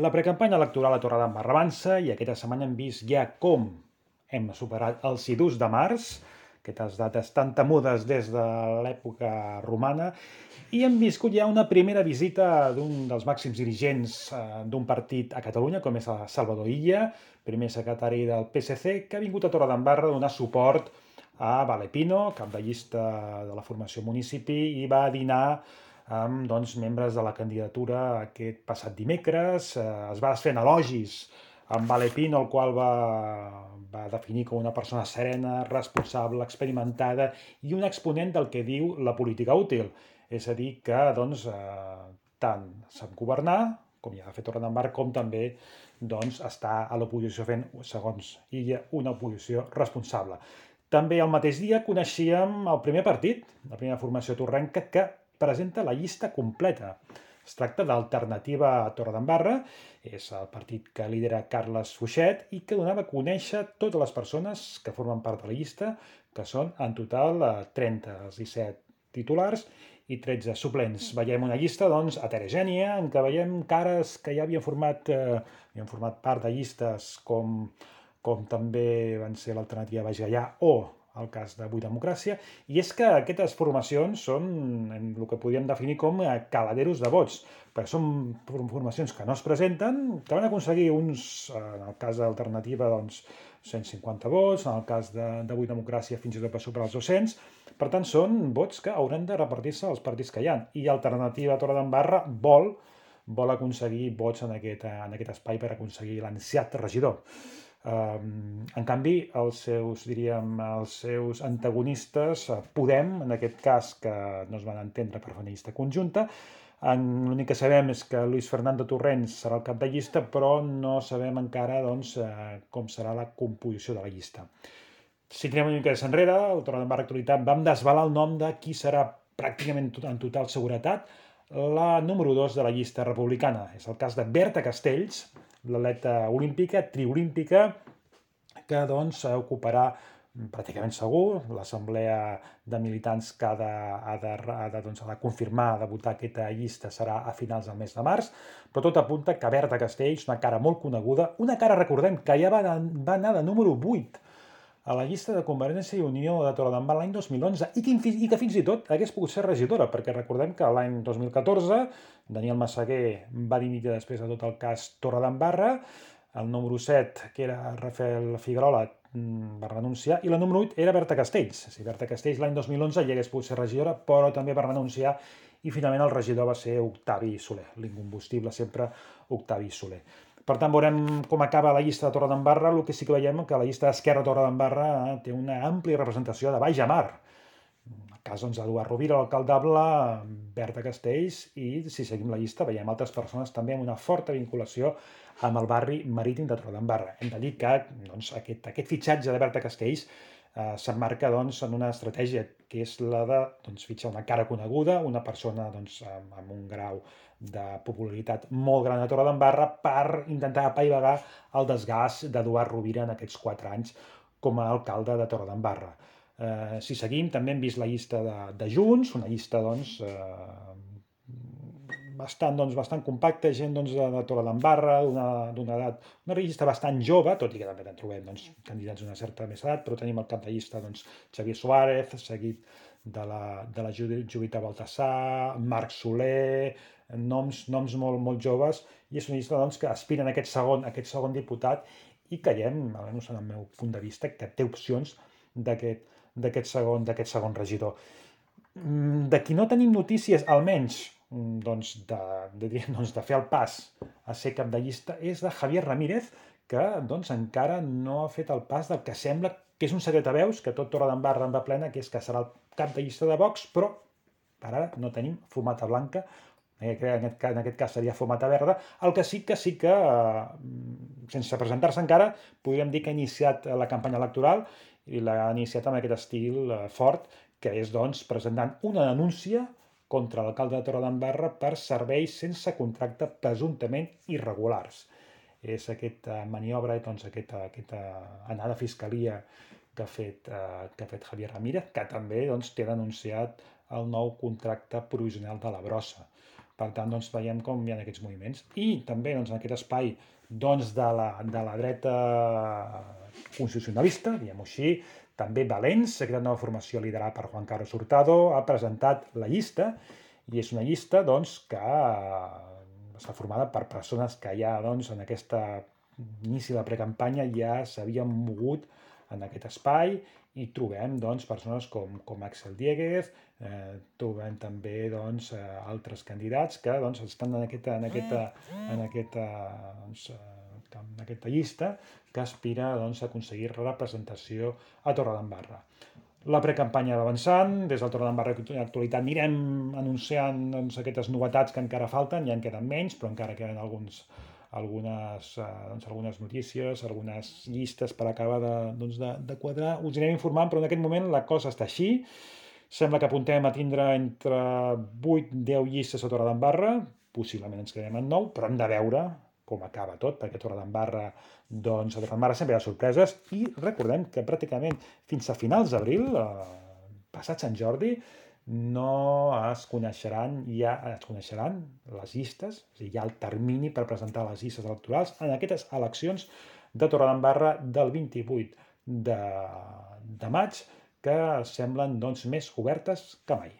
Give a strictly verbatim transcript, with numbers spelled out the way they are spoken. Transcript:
La precampanya electoral a Torredembarra avança i aquesta setmana hem vist ja com hem superat el sidus de març, aquestes dates tan temudes des de l'època romana, i hem viscut ja una primera visita d'un dels màxims dirigents eh, d'un partit a Catalunya, com és el Salvador Illa, primer secretari del P S C, que ha vingut a Torredembarra a donar suport a Valepino, cap de llista de la formació municipi, i va dinar amb doncs, membres de la candidatura aquest passat dimecres. Eh, es va fent elogis amb Valepino, el qual va, va definir com una persona serena, responsable, experimentada i un exponent del que diu la política útil. És a dir, que doncs, eh, tant sap governar, com ja ha fet Torredembarra, com també doncs, està a l'oposició fent, segons ella, una oposició responsable. També el mateix dia coneixíem el primer partit, la primera formació torrenca, que presenta la llista completa. Es tracta d'Alternativa a Torredembarra, és el partit que lidera Carles Fuixet i que donava a conèixer totes les persones que formen part de la llista, que són en total trenta, els disset titulars i tretze suplents. Veiem una llista doncs, heterogènia, en què veiem cares que ja havien format, eh, havien format part de llistes com, com també van ser l'Alternativa Baix Gaià o el cas d'Avui Democràcia, i és que aquestes formacions són en el que podríem definir com caladeros de vots, perquè són formacions que no es presenten, que van aconseguir uns, en el cas d'Alternativa, doncs, cent cinquanta vots, en el cas d'Avui Democràcia fins i tot per superar els dos-cents, per tant són vots que hauran de repartir-se als partits que hi ha, i Alternativa Torredembarra vol vol aconseguir vots en aquest, en aquest espai per aconseguir l'ansiat regidor. Um, en canvi, els seus, diríem, els seus antagonistes, Podem, en aquest cas, que no es van entendre per fer una llista conjunta, l'únic que sabem és que Luis Fernando Torrents serà el cap de llista, però no sabem encara doncs, com serà la composició de la llista. Si tirem una mica enrere, el Torredembarra Actualitat vam desvelar el nom de qui serà pràcticament en total seguretat la número dos de la llista republicana. És el cas de Berta Castells, l'atleta olímpica, triolímpica, que doncs ocuparà pràcticament segur l'assemblea de militants que ha de, ha de, ha de, doncs, ha de confirmar, ha de votar aquesta llista serà a finals del mes de març, però tot apunta que Berta Castells, una cara molt coneguda, una cara, recordem, que ja va, va anar de número vuit a la llista de Convergència i Unió de Torredembarra l'any dos mil onze i que, i que fins i tot hagués pogut ser regidora, perquè recordem que l'any dos mil catorze Daniel Massaguer va dimitir després de tot el cas Torredembarra, el número set, que era Rafael Figuerola, va renunciar, i la número vuit era Berta Castells. O sigui, Berta Castells l'any dos mil onze ja hagués pogut ser regidora, però també va renunciar i finalment el regidor va ser Octavi Soler, l'incombustible sempre Octavi Soler. Per tant, veurem com acaba la llista de Torredembarra. El que sí que veiem que la llista d'Esquerra de Torredembarra eh, té una àmplia representació de Baix a Mar. En el cas doncs, d'Eduard Rovira, l'alcaldable, Berta Castells, i si seguim la llista veiem altres persones també amb una forta vinculació amb el barri marítim de Torredembarra. Hem de dir que doncs, aquest, aquest fitxatge de Berta Castells eh, s'emmarca doncs, en una estratègia que és la de doncs, fitxar una cara coneguda, una persona doncs, amb, amb un grau de popularitat molt gran a Torredembarra per intentar apaivagar el desgast d'Eduard Rovira en aquests quatre anys com a alcalde de Torredembarra. Eh, si seguim, també hem vist la llista de, de Junts, una llista doncs, eh, bastant, doncs, bastant compacta, gent doncs, de, de Torredembarra, d'una edat, una llista bastant jove, tot i que també en trobem doncs, candidats d'una certa més edat, però tenim al cap de llista doncs, Xavier Suárez, seguit de la, de la Judita Baltasar, Marc Soler, noms, noms molt, molt joves, i és una llista doncs, que aspiren a aquest segon, a aquest segon diputat i creiem, almenys en el meu punt de vista, que té opcions d'aquest segon, segon regidor. De qui no tenim notícies, almenys, doncs de, de, doncs de fer el pas a ser cap de llista, és de Javier Ramírez, que doncs, encara no ha fet el pas del que sembla que és un secret a veus, que tot Torredembarra en va plena, que és que serà el cap de llista de Vox, però per ara no tenim fumata blanca, en aquest, en aquest cas seria fumata verda, el que sí que sí que, eh, sense presentar-se encara, podríem dir que ha iniciat la campanya electoral i l'ha iniciat amb aquest estil eh, fort, que és doncs presentant una denúncia contra l'alcalde de Torredembarra per serveis sense contracte presumptament irregulars. És aquesta maniobra, doncs, aquesta, aquesta anada a fiscalia que ha fet, eh, que ha fet Javier Ramírez, que també doncs, té denunciat el nou contracte provisional de la brossa. Per tant, doncs, veiem com hi ha aquests moviments. I també doncs, en aquest espai doncs, de, la, de la dreta constitucionalista, diguem-ho així, també Valens, aquesta nova formació liderada per Juan Carlos Hurtado, ha presentat la llista, i és una llista doncs, que està formada per persones que ja doncs, en aquesta inici de la precampanya ja s'havien mogut en aquest espai, i trobem doncs, persones com, com Axel Dieguez, eh, trobem també doncs, eh, altres candidats que doncs, estan en aquesta, en aquesta, en aquesta, doncs, en aquesta llista que aspira doncs, a aconseguir representació a Torredembarra. La precampanya va avançant, des del Torredembarra Actualitat anirem anunciant doncs, aquestes novetats que encara falten, ja en queden menys, però encara queden alguns, algunes, eh, doncs, algunes notícies, algunes llistes per acabar de, doncs, de, de quadrar. Us anirem informant, però en aquest moment la cosa està així. Sembla que apuntem a tindre entre vuit i deu llistes a Torredembarra, possiblement ens quedem en nou, però hem de veure com acaba tot, perquè a Torredembarra, doncs, a Torredembarra sempre hi ha sorpreses, i recordem que pràcticament fins a finals d'abril, eh, passat Sant Jordi, no es coneixeran, ja es coneixeran les llistes, és a dir, hi ha el termini per presentar les llistes electorals en aquestes eleccions de Torredembarra del vint-i-vuit de, de maig, que semblen doncs, més obertes que mai.